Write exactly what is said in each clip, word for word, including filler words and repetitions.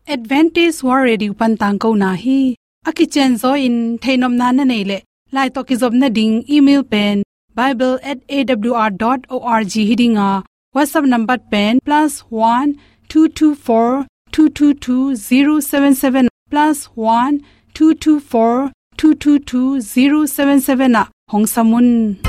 Adventist World Radio pan tangkona hi. A kicianzaw in theihnopna na neih leh, lai tawh kizopna ding email pen bible at A W R dot org hi ding a, WhatsApp number pen plus one two two four two two two zero seven seven, plus one two two four two two two zero seven seven ah hong sam un.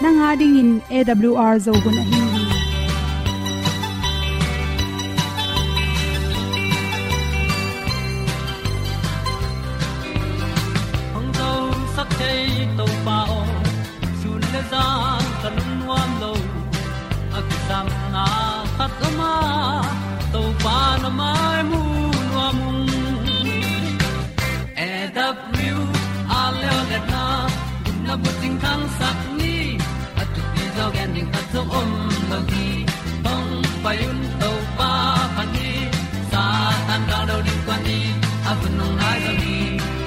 Nang a dingin A W R Zo hun ahi hi. Hong zosak thei Topa aw, sun le zan ka lungnuam lo. A kisapna khat om a, Topa na mai mu nuam ung. A W R Leo Letna, gupna bucing thangsak ni, a thupi zaw gen ding khat zong om lo hi. Hong pai un Topa phat ni, Satan gal do ding kua ni, a hun hong nai zo hi.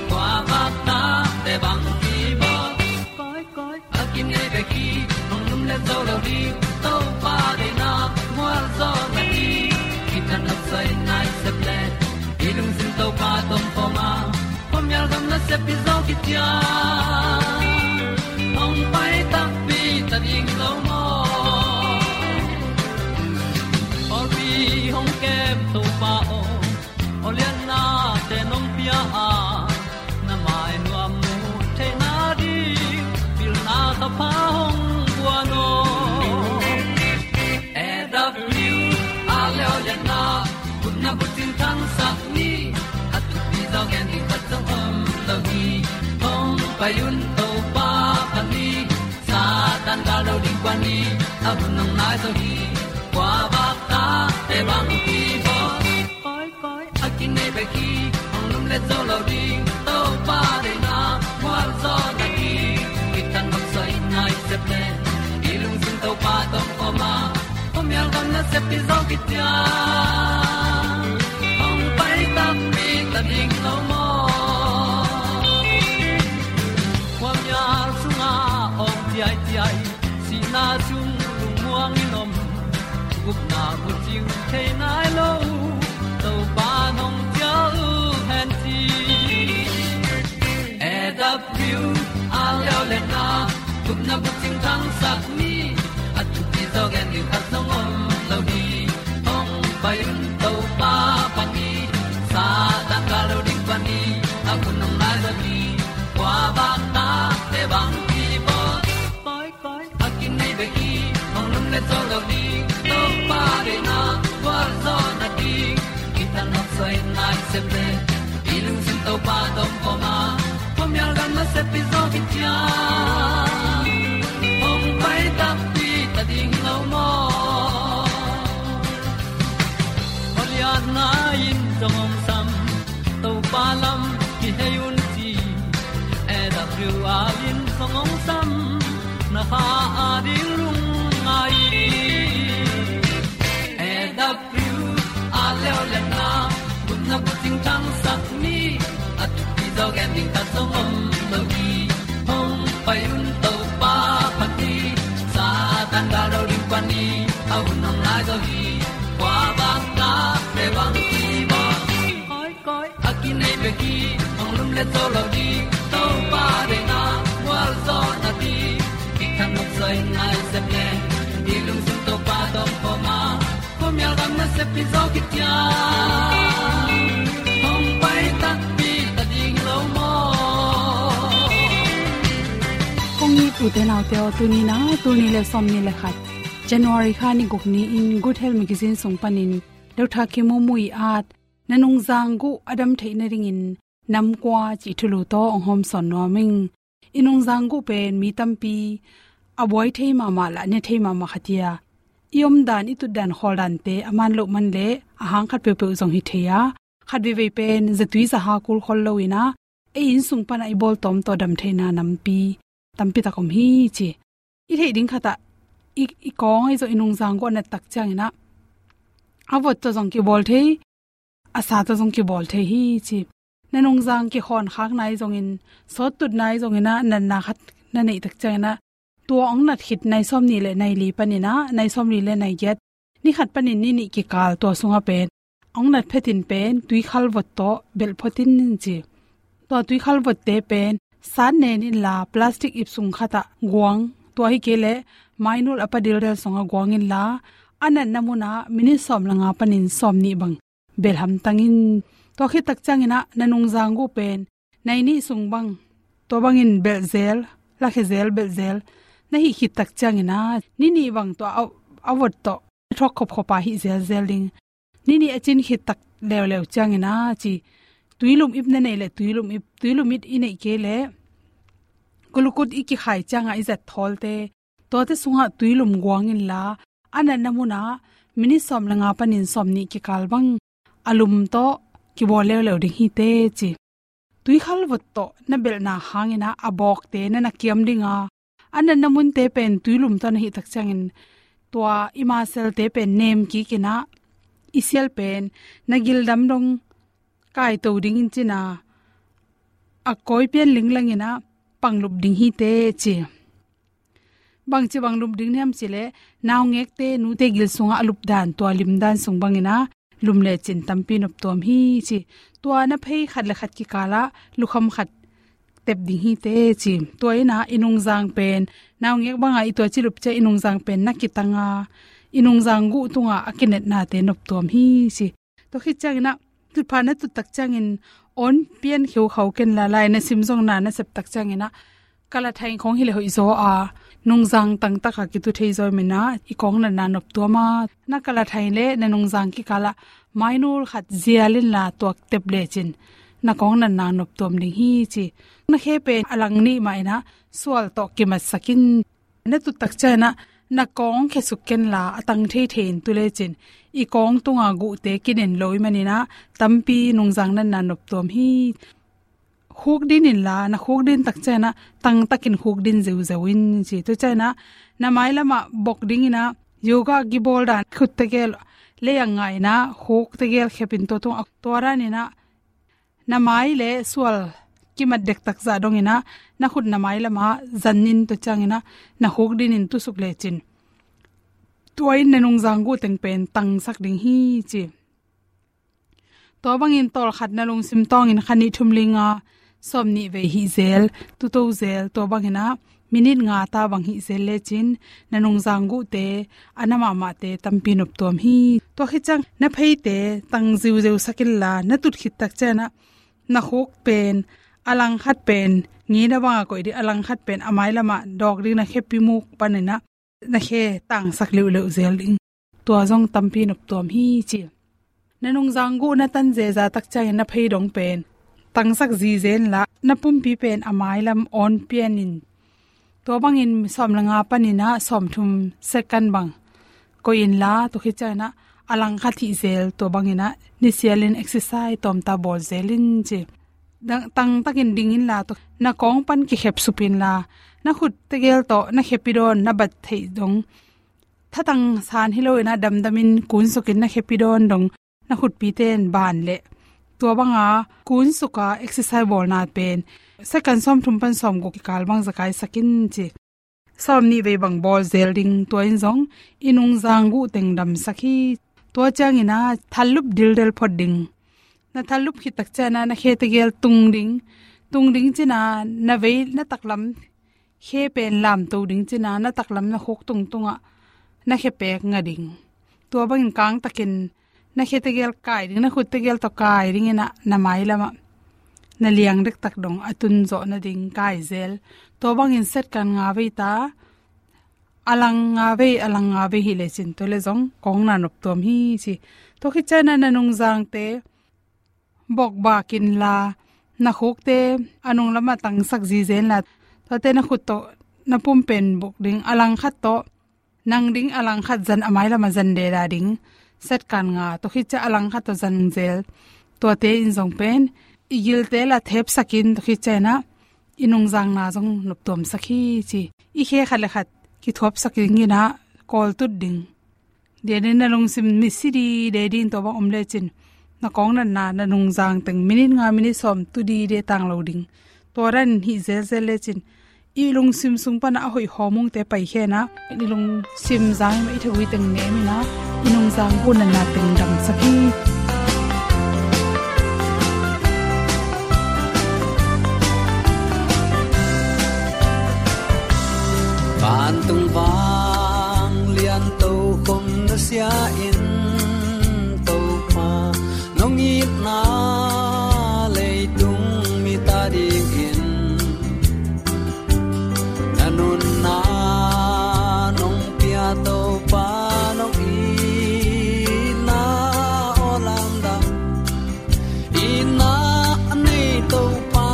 Kua bak ta te bang ki bawl. Koi, koi, a kinei bek hi, hong lum le zo lo ding, Topa deihna, mual zaw na hi, kitang nop sai nai sep le, i lungsim Topa tawh om khawm a, khuamial gam nasep i zaw kician, hong pai takpi ta ding lo maw. Pawlpi hong kem Topa aw, aw liannate nong pia a, na mai nuam mu theihna ding, pilna thapha hong guan aw. A W R Leo Letna, gupna bucing thangsak ni, a thupi zaw gen ding khat zong om lo hi. Hong pai un Topa phat ni, Satan gal do ding kua ni, a hun hong nai zo hi. Kua bak ta te bang ki bawl. Koi, koi, a kinei bek hi, hong lum le zo lo ding, Topa deihna, mual zaw na hi, kitang nop sai nai sep le, i lungsim Topa tawh om khawm a, khuamial gam nasep i zaw kician, hong pai takpi ta ding lo maw. Khuamial sungah awng ciaiciai, sihna sung lungmuang in om, gupna bucing thei nai lo, Topa nong cial hen ci. A W R Leo Letna, gupna bucing thangsak ni, a thupi zaw gen ding khat zong om lo hi. Hong pai un Topa phat ni, Satan gal do ding kua ni, a hun hong nai zo hi. Kua bak ta te bang ki bawl. Koi, koi, a kinei bek hi, hong lum le zo lo ding, Topa deihna, mual zaw na hi, kitang nop sai nai sep le, i lungsim Topa tawh om khawm a, khuamial gam nasep i zaw kician, hong pai takpi ta ding lo maw. Aw lianna in zong hong sam, Topa lam kihei un ci, A W R in zong hong sam, na kha a ding lungngai. A W R Leo Letna, gupna bucing thangsak ni, a thupi zaw gen ding khat zong om lo hi. Hong pai un Topa phat ni, Satan gal do ding kua ni, a hun hong nai zo hi. Kua bak ta te bang ki bawl. Koi, koi, a kinei bek hi, hong lum le zo lo ding, Topa deihna, mual zaw na hi, kitang nop sai nai sep le, i lungsim Topa tawh om khawm a, khuamial gam nasep i zaw kician, hong pai takpi ta ding lo maw. Kong it u te nau te aw, tuni in a, tul nih le sawmnih le khat, January kha ni guk ni-in Good Health Magazine sung panin Doctor Kim Mui at, na nungzang guh a dam theih nadingin nam kua cih thulu tawh hong hawmsawn nuam ing. I nungzang guh pen mi tampi a buai thei mahmah le a ne thei mahmah khat hi a, i omdan, i tutdan, khawldante a man loh man leh a hang khat peuhpeuh zong hi thei a, khat veivei pen zatui zaha kul khol lo in ah, ei inn sung panah i bawltawm tawh dam theihna nampi tampi tak om hi ci. I theih ding khatah i, i kawng ahi zong i nungzang guh a nat tak ciangin ah, a vot tawh zong kibawl thei, a sa tawh zong kibawl thei hi ci. Na nungzang kikhawn khak nai zongin, sawt tut nai zongin ah, natna khat na neih tak ciangin ah, tua hong nat khit nai sawmnih le nai li panin ah, nai sawmli le nai giat, ni khat panin ni nih kikal, tua sungah pen hong nat phetin pen tuikhal vot tawh belh phot in ci. Tua tuikhal votte pen sat nen inla, plastic ip sung khatah guang, tua hi kei leh mainul a pa dildel sungah guang inla, a natna munah minit sawm le nga panin sawmnih bang belh hamtang in. Tua khit tak ciangin ah na nungzang guh pen nai nih sung bang, tua bangin belh zel, lakhia zel, belh zel na hih khit tak ciangin ah, ni nih bang tua a, a vot tawh thawk khopkhop a hih zelzel ding. Ni nih a cin khit tak leuleu ciangin ah ci, tuilum ip na neih leh tuilum ip, tuilum ip i neih kei leh glucose i kikhai ciangah i zat thawlte, tuate sungah tuilum guang inla, a natna munah minit sawm le nga panin sawmnih kikal bang a lum tawh kibawl leuleu ding hi teh ci. Tuikhal vot tawh na belhna hangin ah, a bawkte na na kiam ding a, a natna munte pen tuilum tawh na hih tak ciangin, tua i maselte pen nem kik in ah, i sial pen na gildam dong kaito dingin cin ah, a kawi pian linglangin ah panglup ding hi teh ci. Bangci bang lup ding hiam cih leh, naungekte, nute gil sungah a lupdan, tua limdan sung bangin ah lum lecin tampi noptuam hi ci. Tua na phei khat le khat kikalah lukham khat tep ding hi teh ci. Tua in ah i nungzang pen, naungek bangah i tuaci lup ciang i nungzang pen na kitang a, i nungzang guh tungah a kinetnate noptuam hi ci. Tua khit ciangin ah, tutphah na tut tak ciangin awn pian kheukhau ken la, lai na sim zong na na sep tak ciangin ah, kalathai khawng hi leh hoih zaw a, nungzang tangtak a kitu thei zaw i hih manin ah, i kawng natna noptuam a, na kalathai le na nungzang kikalah mainul khat zial inla tuak tep lecin, na kawng natna noptuam ding hi ci. Na khe pen a lang nih mah in ah sual tawh kimatsak in. Na tut tak ciangin ah, na kawng khesuk ken la, a tang theithei in tu lecin, i kawng tunga guhte kinen lo i hih manin ah, tampi nungzang natna noptuam hi. Khukdin inla, na khukdin tak ciangin ah, tangtakin khukdin zeuzeu in ci. Tua ciangin ah, na mailamah bok dingin ah, yoga kibawl dan khut tegel, lei a nga in ah, khuk tegel khep in tua tungah, tua danin ah, na mai le sual kimat dektak zah dongin ah, na khut na mailamah zan in, tua ciangin ah na khukdin in tusuk lecin, tua in na nungzang guh teng pen tangsak ding hi ci. Tua bangin tawlkhat na lungsim tawngin kha nih thum li nga sawmnih vei hih zel, tuto zel, tua bangin ah minit nga ta bang hih zel lecin, na nungzang guhte, a na mahmahte tampi noptuam hi. Tua khit ciang na pheite tang ziuzeu sak inla, na tut khit tak ciangin ah, na khuk pen, a langkhat pen ngina bangah koih ding, a langkhat pen a mailamah dawk ding, na khepi muk panin ah na khe tangsak leuhleuh zel ding. Tua zong tampi noptuam hi ci. Na nungzang guh na tan zeza tak ciangin na phei dong pen tangsak zizen la, na pumpi pen a mailam awn pian in, tua bangin sawm le nga panin ah sawmthum second bang koih inla, tua khit ciangin ah a langkhat hih zel, tua bangin ah nisialin exercise tawmta bawl zel in ci. Tangtakin ding inla, tua na kawng pan kikhep sup inla, na khut tegel tawh na khepi dawn, na bat theih dong, thatang san hi loin ah damdamin kunsukin na khepi dawn dong, na khutpite in ban leh, tua banga kunsuka exercise bawlna pen second sawmthum pan sawmguk kikal bang zakaisak in ci. Sawmnih vei bang bawl zel ding, tua in zong i nungzang guh teng damsak hi. Tua ciangin ah thallup dildel phot ding. Na thallup khit tak ciangin ah na khe tegel tung ding. Tung ding cin ah na vei, na taklam khe pen lamto ding cin ah, na taklam na khuk tungtungah na khe pek nga ding. Tua bangin kangtakin na khe tegel kai ding, na khut tegel tawh kai dingin ah na mailamah na liang dektak dong a tun zawh nading kai zel. Tua bangin second nga vei ta, a lang nga vei, a lang nga vei hih lecin, tua leh zong kawng natna noptuam hi ci. Tua khit ciangin ah na nungzangte bokbak inla, na khukte a nunglamah tangsak zizen la, tuate na khut tawh na pum pen bok ding, a langkhat tawh Nang ding a langkhat zan a mailam a zan deda ding. Set kan nga, tua khit ciang a langkhat tawh zan zel. Tuate in zong pen i gilte la thepsakin tua khit ciang inah i nungzangna zong noptuamsak hi ci. I khe khat le khat kithuapsak ding inah kawltut ding. Dia ding na lungsim misi dide ding tua bang om lecin na kawng natna na nungzang teng minit nga minit sawm tu dide tang lo ding. Tua dan hih zelzel lecin i lungsim sung panah a hoih hawmungte paikhia inah i lungsim zang i mah i thagui teng nem inah i nungzang gunatna teng damsak hi. Vantung vanglian tokhom na sia in Topa nong itna leitung mite adingin na nunna nong pia Topa nong itna aw lamdang. Itna a nei Topa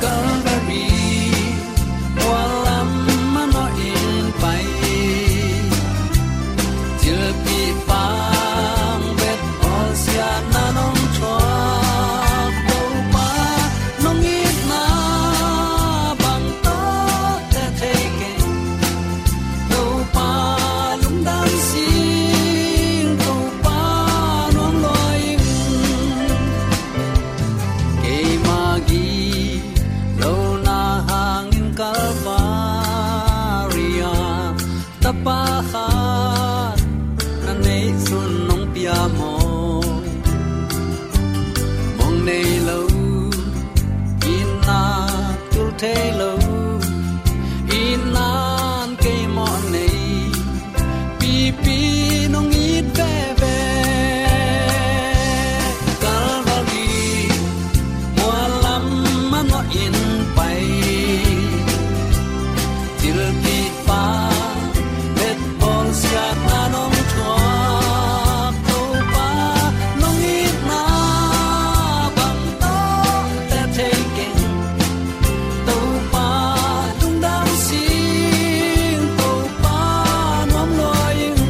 Calvary mual lam manawh in pai. Thilpih pang bet bawlsiatna nong thuak Topa nong itna bang tawh te thei keng. Topa lungdam sing Topa nuam lua ing. Keima gilo na hangin Calvary ah tapa khat na neih sun nong pia maw? Mong nei lo, itna tul thei lo, itna'n kei mawh nei. Pipi nong it veve. Calvary mual lam manawh in pai. Thilpih pang bet bawlsiatna nong thuak Topa nong itna bang tawh te thei keng. Topa lungdam sing Topa nuam lua ing.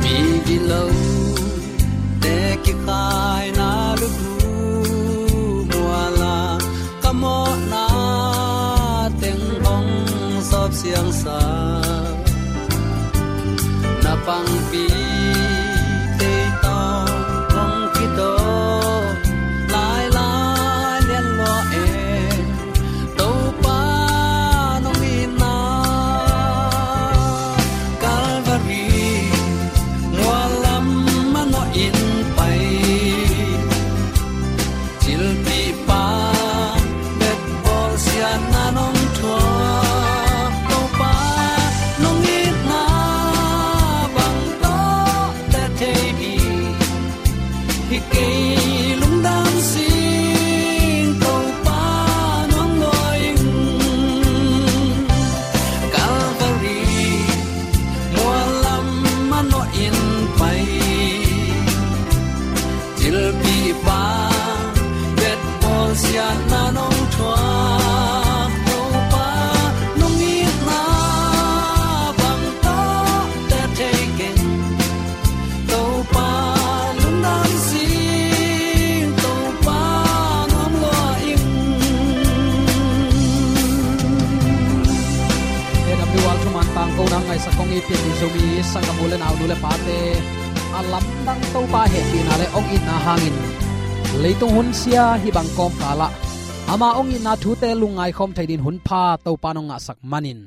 Mi gilo te kikhaina lukhu mual ah ka mawhna teng hong sawp siangsa. Na pangpi tei tawh hong kitawh lailai lian lua e. Topa nong itna Calvary mual lam manawh in pai. Thilpih pang bet bawlsiatna nong thuak Topa nong itna bang tawh te thei ding. Hi kei lungdam sing Topa nuam lua ing. Calvary mual lam manawh in pai. Thilpih pang bet bawlsiatna nong thuak Topa nong itna bang tawh te thei keng. Topa lungdam sing Topa nuam lua ing. A W R thuman tangkona ngaihsak kong it pian i Zomi sanggamnu le naunu le pate, a lamdang Topa hehpihna le hong itna hangin leitung hun sia hih bang kawmkalah ama hong itna thute lungngai khawm thei dingin hun pha Topa nong ngahsak manin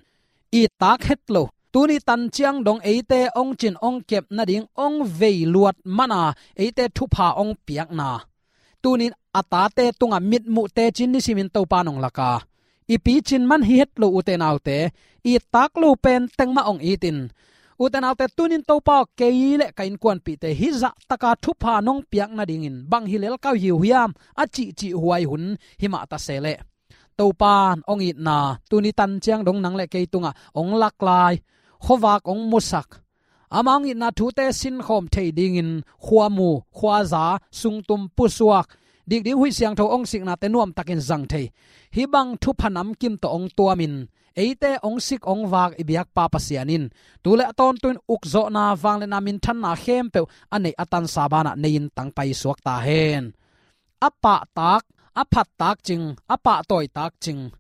i tak het lo. Tuni tan ciang dong eite hong cin hong kep nading hong vei luat mana eite thupha hong piakna, tunin a tate tungah mitmuh tecin nisimin Topa nong laka, i picin man hi het lo, ute naute, it tak lo pen teng mah hong itin. Ute naute, tunin Topa aw, kei le ka innkuanpihte hih zahtaka thupha nong piak nadingin bang hi lel ka uh hiam, a cihcih huai hun hi mah ta se leh, Topan hong itna tuni tan ciang dong nang le kei tungah hong lak lai, khuavak hong musak, ama hong itna thute sinkhawm thei dingin khuamu, khuaza, sungtum, pusuak, dikding huih siangtho hong siknate nuamtakin zang thei, hih bang thupha namkim tawh hong tuamin eite hong sik hong vak i biakpa Pasian in tu le a tawntung in ukzawhna, vangliatna, minthanna khempeuh a neih a tansa banah nei-in tangpai suak ta hen. A pahtak, a phattak cing, a pahtawitak cing,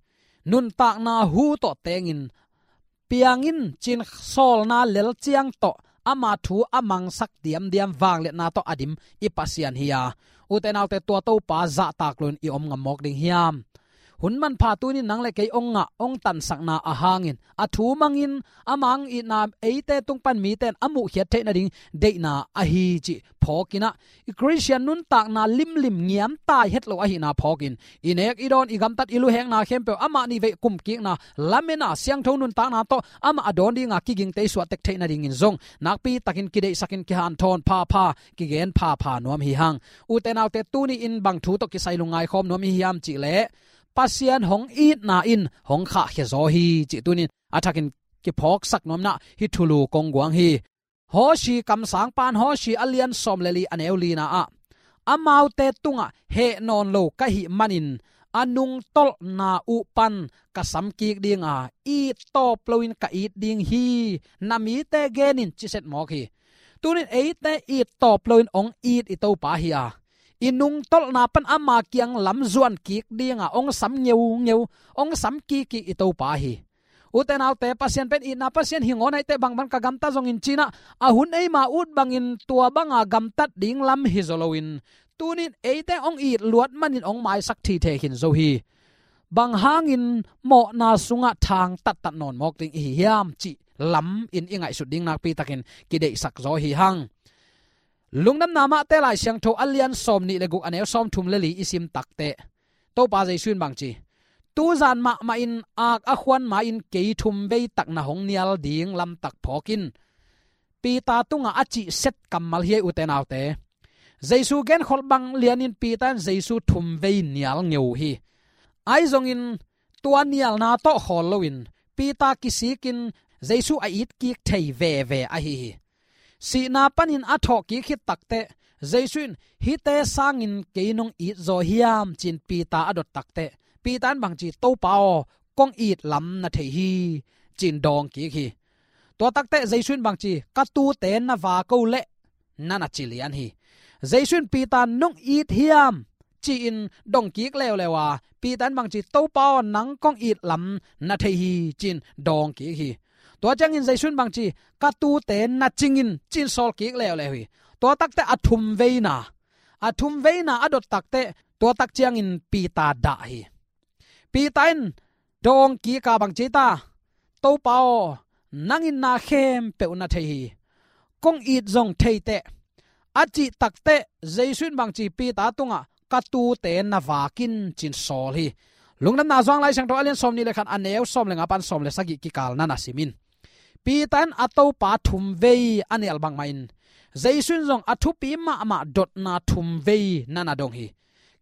nuntakna hu tawh tengin, piang in, ci-in sawlna lel ciang tawh ama thu a mangsak diamdiam vangliatna tawh a dim i Pasian hi a, ute naute, tua Topa zahtak loin i om ngam mawk ding hiam? Hun manpha tunin nang le kei hong ngah, hong tansakna ahangin, a thu mangin, ama hong itna eite tung pan mite in a muhkhiat theih nading deihna ahi cih phawkin ah, i Khristian nuntakna limlim ngiamtai het lo ahihna phawkin, i nek i dawn, i gamtat, i luhekna khempeuh amah nih veih kumkikna, lamena, siangtho nuntakna tawh amah a dawn dinga kigingte i suahtek theih nadingin zong nakpitakin kideihsakin kihanthawn phapha, kigen phapha nuam hi hang. Ute naute, tuni in bang thu tawh kisai lungngai khawm nuam i hi hiam cih leh, Pasian hong itna in hong khahkhia zaw hi cih tunin a thakin kiphawksak nuam in ah hih thulu kong guang hi. Hosea kamsangpa in Hosea a lian sawm le li, a neu lina ah, amaute tungah heh nawn lo ka hih manin a nungtolhna uh pan ka samkik dinga, it tawp loin ka it ding hi, na mite gen in, ci set mawk hi. Tunin eite it tawp loin hong it i Topa hi a, i nungtolhna pan ama kiang lam zuankik dinga hong sam ngeungeu, hong sam kikkik i Topa hi. Ute naute, Pasian pen itna Pasian hi ngawn ahih teh, bangban ka gamta zongin, ci-in ah, a hun eima ut bangin tua banga gamtat ding lam hi zaw loin, tunin eite hong it luat manin hong maisak thithe khin zo hi. Bang hangin mawhna sungah thang tattat nawn mawk ding i hi hiam cih lamin i ngaihsut ding nakpitakin kideihsak zaw hi hang. Lungdamna Mate Lai Siangtho a lian sawm nih le guk, a neu sawm thum le li i sim takteh, Topa Jesu in bang ci, tuzan mahmah in ak a khuan ma-in kei thum vei tak na hong nial ding lamtak phawk in, Peter tungah a cih set kammal hi ei, ute naute. Jesu genkholh bang lianin Peter in Jesu thum vei nial ngeu hi. Ahi zongin tua nialna tawh khawl loin Peter kisikin Jesu a itkik thei veve ahi hi. Sihna panin a thawhkik khit takteh, Jesu in, hihte sangin kei nong it zaw hiam, ci-in Peter a dot takteh, Peter in bang ci, Topa aw, kong it lam na thei hi, ci-in dawngkik hi. Tua takteh Jesu in bang ci, ka tuute na vak o leh, na na ci lian hi. Jesu in Peter, nong it hiam, ci-in dongkik leuleu a, Peter in bang ci, Topa aw, nang kong it lam na thei hi, ci-in dawngkik hi. Tua ciangin Jesu in bang ci, ka tuute na cing in, ci-in sawlkik leuleu hi. Tua takteh a thum veina, a thum veina a dot takteh, tua tak ciangin Peter dah hi. Peter in dawngkik a bang ci ta, Topa aw, nang in na khempeuh na thei hi. Kong it zong thei teh, a cih takteh Jesu in bang ci, Peter tungah, ka tuute na vak in, ci-in sawl hi. Lungdamna Johan Lai Siangtho a lian sawm nih le khat, a neu sawm le nga pan sawm le sagih kikal na na sim in. Peter in a Topa thum vei a nial bangmah in, Jesu in zong a thupi mahmah dotna thum vei na na dong hi.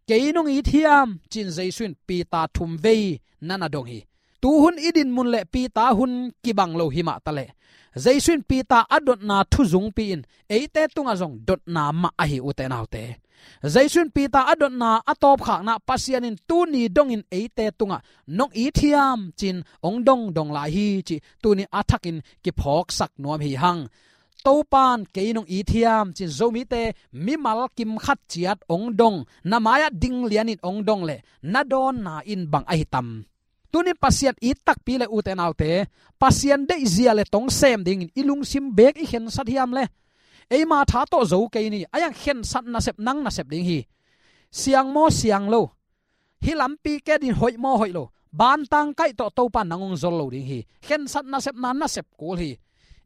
Kei nong it hiam, ci-in Jesu in Peter thum vei na na dong hi. Tuhun i dinmun le Peter hun kibang lo hi mah taleh, Jesu in Peter a dotna thu zungpi in eite tungah zong dotna mah ahi, ute naute. Jesu in Peter a dotna a tawpkhakna, Pasian in tuni dongin eite tungah nong it hiam, ci-in hong dongdong lai hi cih tuni a thakin kiphawksak nuam hi hang. Topan kei nong it hiam, ci-in Zomite mimal kim khat ciat hong dong, na mai-ah ding lianin hong dong leh na dawnna in bang ahi tam? Tunin Pasian it takpi le, ute naute, Pasian deihzia le tong sem dingin i lungsim beek i khensat hiam le? Eima tha tawh zo kei ni, a hiang khensat nasep nang nasep ding hi. Siang maw siang lo, hih lampi ke din hoih maw hoih lo, bantang kaih tawh Topa nang hong zol lo ding hi. Khensat nasepna nasep kul hi.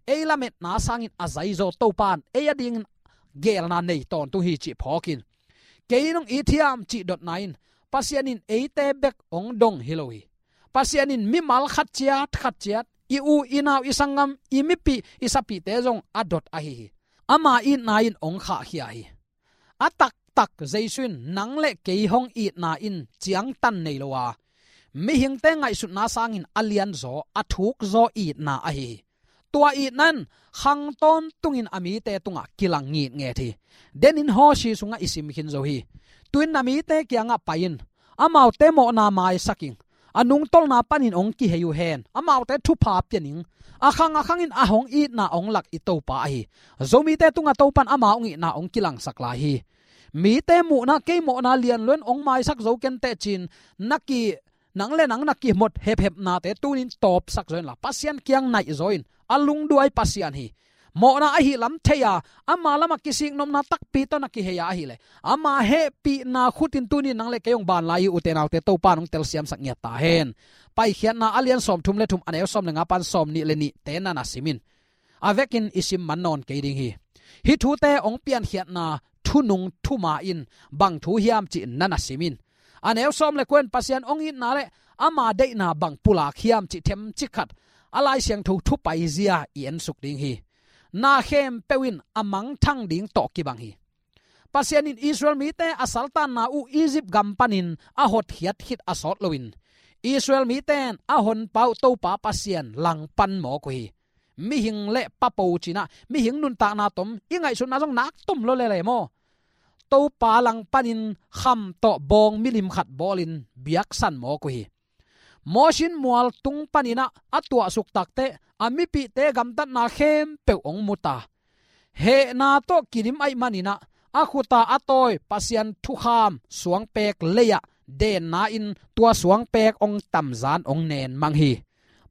Ei lametna sangin a zaizaw Topan ei a dingin geelna nei tawntung hi cih phawkin, kei nong it hiam cih dotna in Pasian in eite bek hong dong hi lo hi. Pasian in mimal khat ciat khat ciat, i u, i nau, i sanggam, i mipih, i sapihte zong a dot ahi hi. Ama itna in hong khahkhia hi. A taktak Jesu in nang le kei hong itna in ciangtan nei lo a, mihingte ngaihsutna sangin a lianzaw, a thukzaw itna ahi hi. Tua itna in khang tawntungin a mite tungah kilang ngitnget hi. Denin Hosea sungah i sim khin zo hi. Tu-in na mite kiangah pai in, amaute mawhna maisak in, a nungtolna panin hong kihei uh hen. Amaute thupha pia ning. A khang a khangin a hong itna hong lak i Topa ahi. Zomite tungah Topa in ama hong itna hong kilangsak lai hi. Mite muhna, kei mawhna lian lo in hong maisak zo ken teh ci-in na ki, nang le nang na kihmot hephepnate tu-in tawpsak zaw inla, Pasian kiang naih zaw in. A lungduai Pasian hi. Mawhna ahih lam thei a, ama lamah kisiknopna takpi tawh na kihei a ahih leh, ama hehpihna khutin tu-in nang le kei hong ban lai hi. Ute naute, Topa in hong telsiamsak ngiat ta hen. Paikhiatna a lian sawmthum le thum, a neu sawm le nga pan sawmnih le nihte na na sim in. A vekin i sim man nawn kei ding hi. Hih thute hong piankhiatna thunung thuma in bang thu hiam cih na na sim in. A neu sawm le kua in Pasian hong itna le ama deihna bang pulak hiam cih themcik khat a Lai Siangtho thu paizia i ensuk ding hi. Na khempeuh in a mangthang ding tawh kibang hi. Pasian in Israel mite a saltanna uh Egypt gam panin a hotkhiat khit a sawt loin, Israel mite in a honpa uh Topa Pasian langpan mawk uh hi. Mihing le papo cinah, mihing nuntakna tom, i ngaihsutna zong nak tom lo lele maw? Topa langpanin kham tawh bawng milim khat bawlin biaksan mawk uh hi. Mosi in mual tung paninah a tuahsuk takteh a mipihte gamtatna khempeuh hong mu ta. Hehna tawh kidim ahih maninah a khuta a tawi Pasian thukham suangpek lei-ah denna in tua suangpek hong tamzan hong nen mang hi.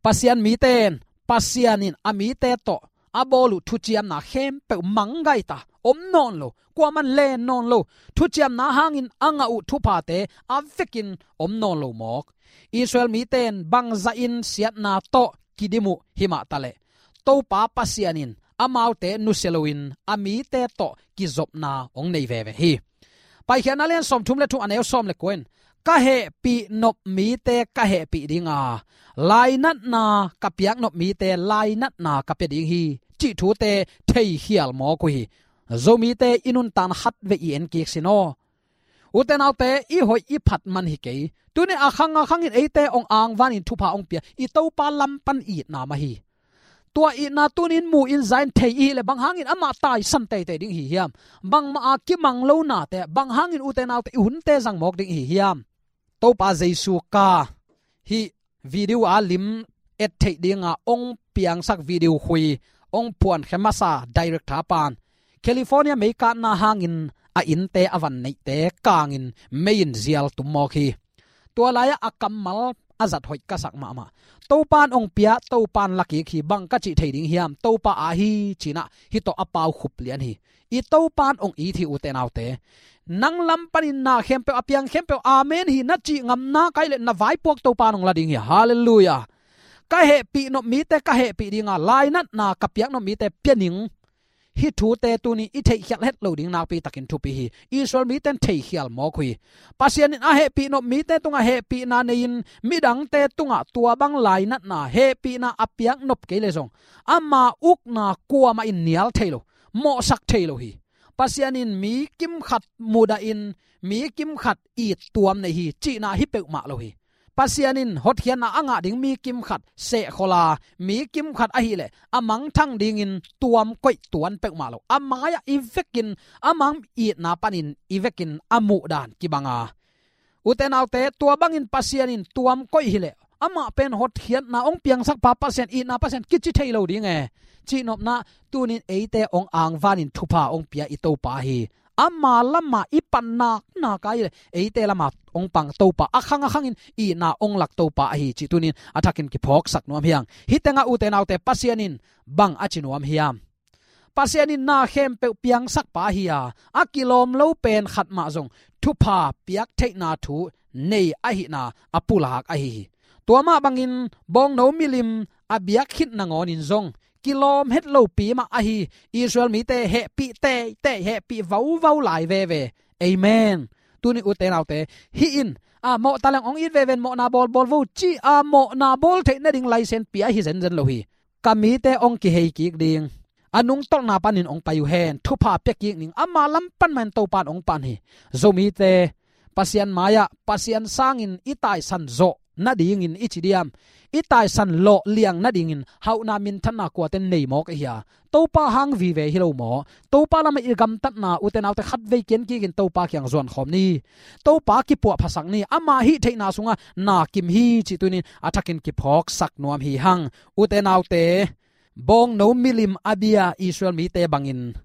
Pasian mite in Pasian in a mite tawh a bawl uh thuciamna khempeuh manggaita, om nawn lo, kuaman len nawn lo. Thuciamna hangin a ngah uh thuphate a vekin om nawn lo mawk. Israel mite in bangzahin siatna tawh kidim uh himah taleh, Topa Pasian in amaute nusia loin a mite tawh kizopna hong nei veve hi. Paikhiatna lian sawmthum le thum, a neu sawm le kua in, ka hehpih nop mite ka hehpih dinga, lainatna ka piak nop mite lainatna ka pia ding hi, cih thute theikhial mawk uh hi. Zomite i nuntakna khatvei i en kik sin aw. Ute naute, i hoih i phat man hi kei. Tuni a khang a khangin eite hong angvanin thupha hong pia i Topa lam pan itna mah hi. Tua itna tuni in mu in za in thei i hih leh bang hangin amah taisan teitei ding i hi hiam? Bangmah a kimang lo nate bang hangin ute naute i hunte zang mawk ding i hi hiam? Topa Jesu ka hih video a lim et theih dinga hong piangsak video khui hong phuankhe masa director pan California meikatna hangin a innte a van neihte kangin mei in zial tum mawk hi. Tua lai-ah a kammal a zat hoih ka sak mahmah. Topa in hong pia, Topa in la kik hi, bang ka cih thei ding hiam? Topa aa hi, cinah hih tawh a pau khup lian hi. I Topa in hong it hi, ute naute. Nang lam panin na khempeuh, a piang khempeuh amen hi na cih ngam nak ahih leh na vaipuak Topa in hong la ding hi. Halleluiah. Ka hehpih nop mite ka hehpih dinga, lainatna ka piak nop mite pia ning. Hih thute tuni i theihkhial het lo ding nakpi takin thupi hi. Israel mite in theikhial mawk uh hi. Pasian in a hehpih nop mite tungah hehpihna nei-in midangte tungah tua bang lainatna, hehpihna a piak nop kei leh zong ama ukna kuamah in nial thei lo, mawhsak thei lo hi. Pasian in mi kimkhat mudahin, mi kimkhat it tuam nei hi, cihna hi peuhmah lo hi. Pasian in hotkhiatna a ngah ding mi kimkhat sehkhol a, mi kimkhat ahih leh a mangthang dingin tuam koih tuan peuhmah lo. A mai-ah i vekin, a mang itna panin i vekin a muhdan kibang a, ute naute, tua bangin Pasian in tuam koih hi leh amah pen hotkhiatna hong piangsakpa Pasian, itna Pasian kici thei lo ding e. Cihnopna, tuni in eite hong angvanin thupha hong pia i Topa hi. Ama lamah i pan nak nak ahih leh eite lamah hong pang Topa, a khang a khangin itna hong lak Topa ahi cih tuni in a thakin kiphawksak nuam hi hang. Hih tengah ute naute, Pasian in bang a ci nuam hiam? Pasian in na khempeuh piangsakpa hi a, a kilawm lo pen khat mah zong thupha piak theihna thu nei ahihna a pulak ahi hi. Tua mah bangin bawngno milim a biak khit nangawnin zong kilawm het lopi mah ahi Israel mite hehpih teitei, hehpih vauvau lai veve. Amen. Tuni ute naute, hih in a, mawh taleng hong it veve in, mawhna bawlbawl vo ci-a mawhna bawl theih nading license pia hi zenzen lo hi. Ka mite hong kihei kik ding, a nungtolhna panin hong pai uh hen, thupha pia kik ning, ama lam pan mah in Topa in hong pan hi. Zomite Pasian mai-ah Pasian sangin i taisan zawh nadingin i ci diam, i taisan lawh liang nadingin hauhna minthanna kuate nei mawk ahi a? Topa hang vive hi lo maw? Topa lamah i gamtatna, ute naute, khatvei kian kikin Topa kiang zuan khawm ni. Topa kipuah phasak ni. Ama hih theihna sungah na kim hi cih tuni-in a thakin kiphawksak nuam hi hang. Ute naute, bawngno milim a bia Israel mite bangin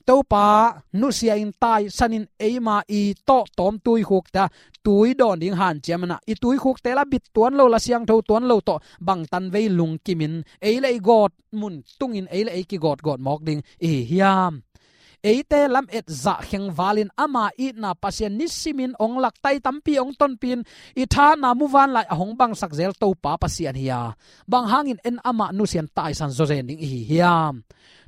Topa nusia-in taisanin eima i tawh tawm tuikhukte ah tui dawn ding hanciam in ah, i tuikhukte la bit tuan lo, la siangtho tuan lo tawh bangtan vei lungkimin ei le ei gawt mun tungin ei le ei kigawtgawt mawk ding i hi hiam? Eite lamet zah khengvalin ama itna Pasian nisimin hong laktai, tampi hong tonpih in, i thahatna muvanlai a hong bangsak zel Topa Pasian hi a, bang hangin en amah nusia-in taisan zawzen ding i hi hiam?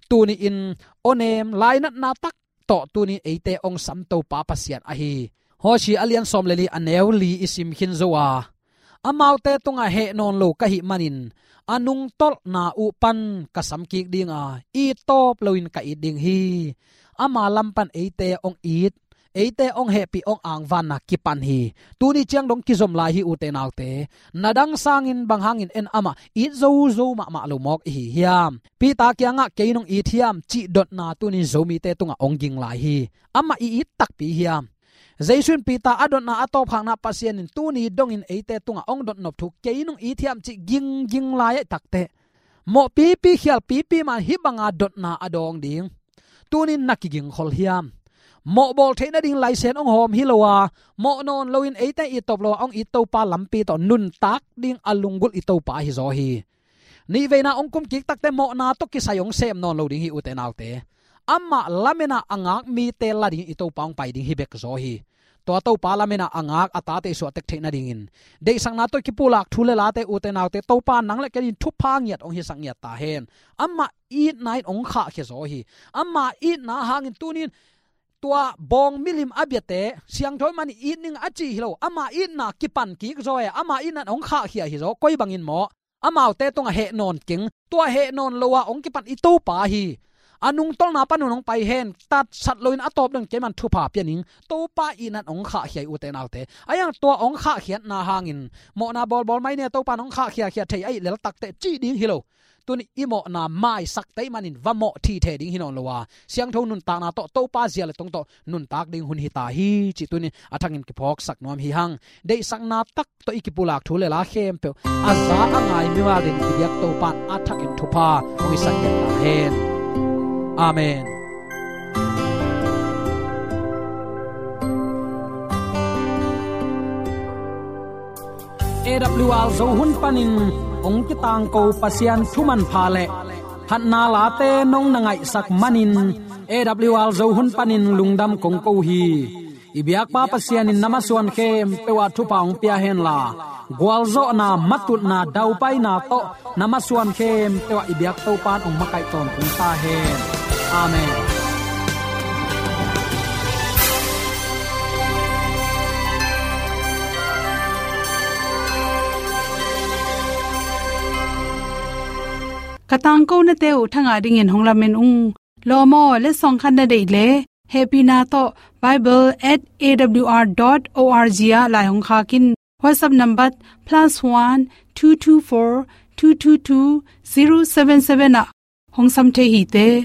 Tuni-in awnem lainatna tak tawh tuni-in eite hong sam Topa Pasian ahi. Hosea a lian sawm le li, a neu li i sim khin zo a, amaute tungah heh nawn lo ka hih manin a nungtolhna uh pan ka sam kik ding a, it tawp loin ka it ding hi. Ama lam pan eite hong it, eite hong hehpih, hong angvanna kipan hi. Tuni ciang dong kizom lai hi, ute naute. Na dang sangin bang hangin en amah it zozo mahmah lo mawk i hi hiam? Peter kiangah kei nong it hiam cih dotna tuni-in Zomite tungah hong ging lai hi. Amah i it takpi hiam? Jesu in Peter a dotna a tawpkhakna, Pasian in tuni dongin eite tungah hong dotnop thu kei nong it hiam cih gingging lai ahih takteh, mawh pipi, khial pipi mah in hih banga dotna a dawng ding. Tuni-in na kigingkhol hiam? Mawh bawl theih nading license hong hawm hi lo a, mawh nawn loin eite it tawp lo a hong it Topa lampi tawh nuntak ding a lunggulh i Topa ahi zaw hi. Nihveina hong kum kik takteh mawhna tawh kisai hong sem nawn lo ding hi, ute naute. Amah lamen a a ngak mite la dingin i Topa hong pai ding hi bek zaw hi. Tua Topa lamen a a ngak a tate i suahtek theih nadingin, deihsakna tawh i kipulak thu le late, ute naute, Topa nang le kei in thupha ngiat hong hisak ngiat ta hen. Amah itna in hong khahkhia zaw hi. Ama itna hangin tuni-in tua bawng milim a biate, siangtho ahih manin it ning a ci hi lo, ama itna kipan kik zaw e, ama itna in hong khahkhia hi zaw. Koi bangin maw? Amaute tungah heh nawn keng, tua heh nawn lo a hong kipan i Topa hi. A nungtolhna panin hong pai hen, tatsat loin a tawp dong keiman thupha pia ning, Topa itna in hong khahkhia hi, ute naute. Ahi hang tua hong khahkhiatna hangin, mawhna bawlbawl mai ni a, Topa in hong khahkhiakhia thei ahih lel takteh cih ding hi lo. Tuni-in i mawhna maisak tei manin va mawh thithe ding hi nawn lo a, siangtho nuntakna tawh, Topa zia le tong tawh nuntak ding hun hi ta hi cih tuni-in a thakin kiphawksak nuam hi hang. Deihsakna tak tawh i kipulak thu le la khempeuh a za a ngai mimal dingin i biak Topa in a thakin thupha hong hisak ngiat ta hen. Amen. A W R Zo hun panin hong kitangko Pasian thu manpha le phatna late nong na ngaihsak manin, A W R Zo hun panin lungdam kong ko hi. I biakpa Pasian in na masuan khempeuh ah thupha hong pia henla, gualzawhna, matutna, daupaina tawh na masuan khempeuh ah i biak Topa in hong makaih tawntung ta hen. Amen. Ka tangkonate uh thangah dingin hong lamen ung. Lawm aw, letsong khat na deih leh, hehpihna tawh bible at A W R dot O R G ah lai hong khak in. WhatsApp number plus one two two four two two two zero seven seven ah hong sam thei hi te.